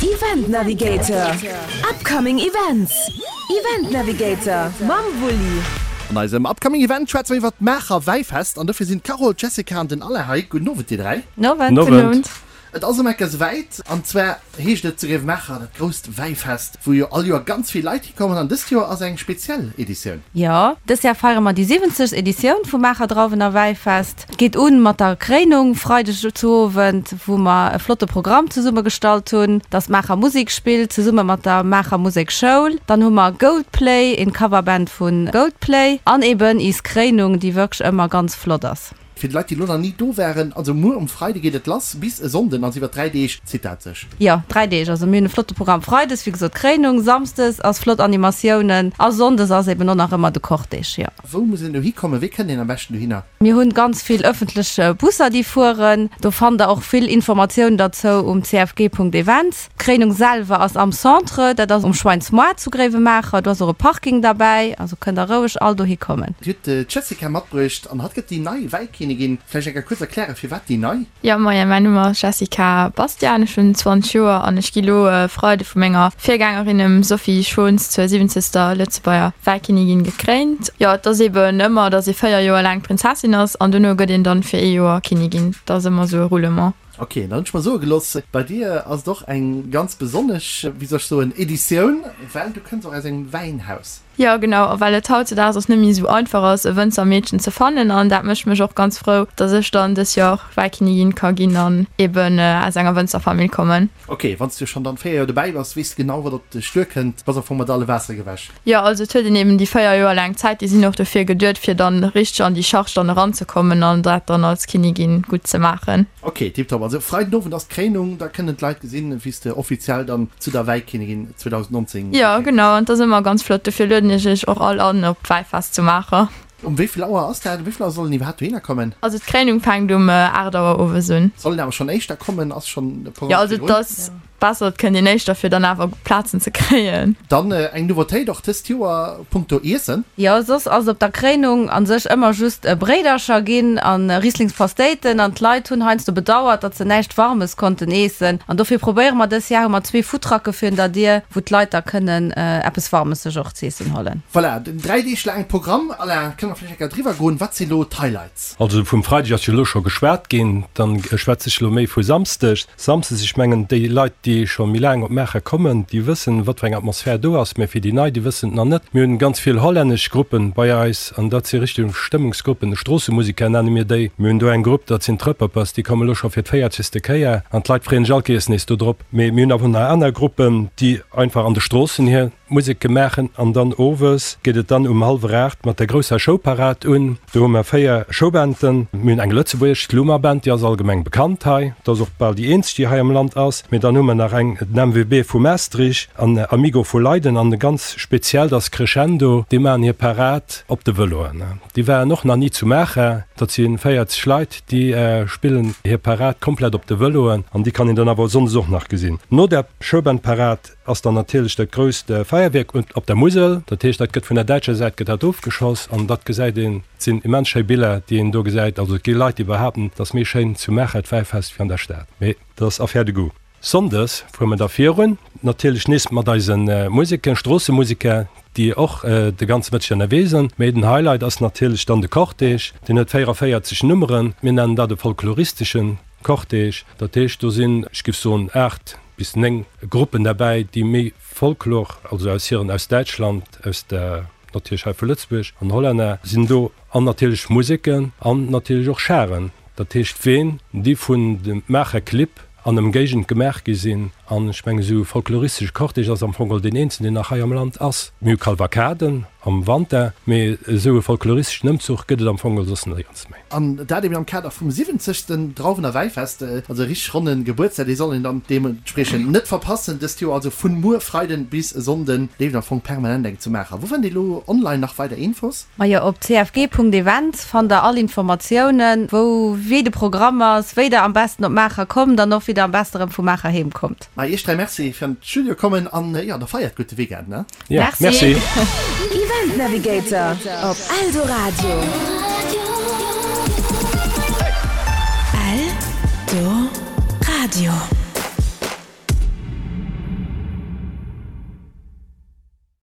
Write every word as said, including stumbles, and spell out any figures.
Event Navigator, Upcoming Events, Event Navigator mam Wulli. An eisem Upcoming Event schwätze mer iwwert d'Maacher Wäifest an dofir sinn d'Carole, d'Jessica an den Alain hei. Gudden Owend dir dräi. Nowend. Gudden Owend. Et ass ëm Ecker souwäit an zwar heescht et zu Grevenmacher dat grousst Wäifest, wou jo all Joer ganz vill Leit hikommen an dëst Joer ass eng speziell Editioun. Jo, dëst Jahr feiere mer déi siwwenzegst Editioun vum Maacher Drauwen a Wäifest. Et geet un mat der Kréinung Freideg zu Owend, wou mer e flotte Programm zesumme gestallt hunn, dass d'Maacher Musik spillt zesumme mat der Maacher Musekschoul. Dann hu mer Goldplay, een Coverband vu Goldplay an eben is Kréinung, déi wierklech ëmmer ganz flott ass. Fir déi Leit, déi elo nach ni do waren, also muer um Freide geet et lass, bis e Sonnden, also iwwer dräi Deeg zitt dat sech. Jo, dräi Deeg. Also mir hunn e flotte Programm. Freides, wéi gesot, Kréinung, Samsdes ass flott Animatiounen a Sonndes ass eben och nach ëmmer de Cortège, jo. Wou muss een dohi kommen? Wéi kënnt een am beschten dohinner? Mir hunn ganz vill ëffentlech Busser, déi fueren. Do fannt der och vill Informatiounen derzou um cfg.events. D'Kréinung selwer ass am Centre, dat ass um Schweinsmoart zu Gréiwemaacher. Do ass och e Parking derbäi, also kënnt der roueg all dohi kommen. Dir hutt d'Jessica matbruecht an hatt gëtt déi nei Wäikinnigin. Vläicht eng Kéier kuerz erklären, firwat déi nei? Jo, moien, mäin Numm ass Jessica Bastian, ech hunn zwanzeg Joer an ech gi lo e Freide vu menger Virgängerin, dem Sophie Schons, zur siwwenzegster Lëtzebuerger Wäikinnigin gekréint. Jo, et ass eben ëmmer, datt ee véier Joer laang Prinzessin ass an dono gëtt een dann fir ee Joer Kinnigin. Dat ass ëmmer esou e Roulement. Ok, dann hunn ech mer soe gelooss, bei dir ass et och eng ganz besonnesch, wéi soll ech soen, Editioun, well du kënns och aus engem Wäinhaus. Jo, genau, a well et hautzedaags och net méi esou einfach ass, e Wënzermeedchen ze fannen. An dat mécht mech och ganz frou, dass ech dann dës Joer Wäikinnigin ka ginn an eben aus enger Wënzerfamill kommen. Ok, wann s du schonn dann véier Joer dobäi bass, weess de genau, wat op dech duerkënnt, bass am Fong mat alle Waassere gewäsch. Jo, also et huet een eben déi véier Joer laang Zäit, déi sinn och dofir geduet, fir dann richteg an déi Charge dann eranzekommen an dat dann als Kinnigin gutt ze maachen. Ok, tiptop. Also Freiden Owend ass d'Kréinung, da kënnen d'Leit gesinn, wéi s de offiziell dann zu der Wäikinnigin zweedausendnonzéng Jo, gekréint genau, gëss. an 't ass ëmmer ganz flott. Dofir lueden ech iech och all an, op d'Wäifest zu Maacher. Um wéi vill Auer ass dat? Um wéi vill Auer sollen iwwerhaapt dohinner kommen? Also d'Kréinung fänkt um aacht Auer owes un. Soll een awer schonn éischter kommen? Ass schonn de Jo, Programm also virdrun? 't ass besser, et kënnt een éischter, fir dann awer Plazen ze kréien. Dann eng Nouveautéit och dëst Joer punkto Iessen. Jo, soss ass op der Kréinung an sech ëmmer just Bréidercher ginn an Rieslingspastéiten an d'Leit hunn heiansdo bedauert, datt se näischt Warmes konnten eessen. An dofir probéiere mer dës Jar, hu mer zwee Foodtrucke virun der Dier, wou d'Leit da kënnen eppes Warmes sech och z'eessen hollen. Voilà, den dräi Deeg laange Programm. Alain, kënne mer vläicht eng Kéier driwwer goen? Wat sinn elo d'Highlights? Also vum Freideg ass jo elo scho geschwat ginn, dann schwätze ech elo méi vu Samsdeg. Samsdes, ech mengen déi Leit, déi scho méi laang op Maacher kommen, déi wëssen, wat fir eng Atmosphär do ass, mä fir déi Nei, déi wëssen et nach net. Mir hunn ganz vill hollännesch Gruppen bei eis an dat si richteg Stëmmungsgruppen, Stroossemusiker nenne mir déi. Mir hunn do eng Grupp, dat sinn d'Trëpperpers, déi komme lo scho fir d'véierzegste Kéier an d'Leit freeën sech all Kéiers nees do drop. Mee mir hunn awer nach aner Gruppen, déi einfach an de Stroossen hir Musek maachen an dann owes geet et dann um hallwer aacht mat der grousser Showparad un. Do hu mer véier Showbanden. Mir hunn eng lëtzebuergesch, d'Luma Band, déi ass allgemeng bekannt hei. Dat ass och bal déi eenzeg, déi hei am Land ass. Mee dann hu mer nach eng, den M W B vu Maastricht an Amigo vu Leiden an ganz speziell, dat ass Crescendo, déi maachen hir Parad op de Vëloen. Déi waren och nach ni zu Maacher. Dat si véierzeg Leit, déi spillen hir Parad komplett op de Vëloen an déi kann een dann awer sonndes och nach gesinn. No der Showband-Parad ass dann natierlech dat grousst Feierwierk op der Musel. Dat heescht, dat gëtt vun der däitscher Säit gëtt dat ofgeschoss an dat gesäit een. Et sinn immens schéi Biller, déi een do gesäit. Also et gi Leit, déi behaapten, et ass méi schéin zu Maacher d'Wäifest wéi an der Stad. Mee dat ass Affaire de goût. Sonndes fuere mer da virun, natierlech nees mat eise Museken, Stroossemuseker, déi och de ganze Mëtteg ënnerwee sinn. Mee den Highlight ass natierlech dann de Cortège. Deen huet véieranvéierzeg Nummeren. Mir nennen dat e folkloristesche Cortège. Dat heescht, do sinn, ech géif soen, aacht bis néng Gruppen derbäi, déi méi Folklor, also aus hiren, aus Däitschland, aus der, natierlech hei vu Lëtzebuerg an Hollänner sinn do an natierlech Museken an natierlech och Charen, dat heescht Ween, déi vun de Maacher Clibb an Ëmgéigend gemaach gi sinn. An ech mengen, esou e folkloristesche Cortège ass am Fong geholl deen eenzegen, deen nach hei am Land ass. Mir hu Kalvakaden am Wanter, mee esou e folkloristeschen Ëmzuch gëtt et am Fong geholl soss néierens méi. An dat eben am Kader vum siwwenzegsten Drauwener Wäifest, also e richteg ronne Gebuertsdag, dee soll een dann deementspriechend net verpassen dëst Joer. Also vun muer Freiden bis e Sonnden leeft am Fong permanent eng zu Maacher. Wou fannt Dir elo online nach weider Infos? Majo, op cfg.events fannt der all Informatiounen, wou, wéi de Programm ass, wéi der am besten op Maacher kommt an och wéi der am besten erëm vu Maacher heem kommt. Ma iech dräi Merci fir an d'Studio kommen an jo, da feiert gutt de Weekend, ne? Jo, Merci. Event Navigator op Eldoradio. Eldoradio.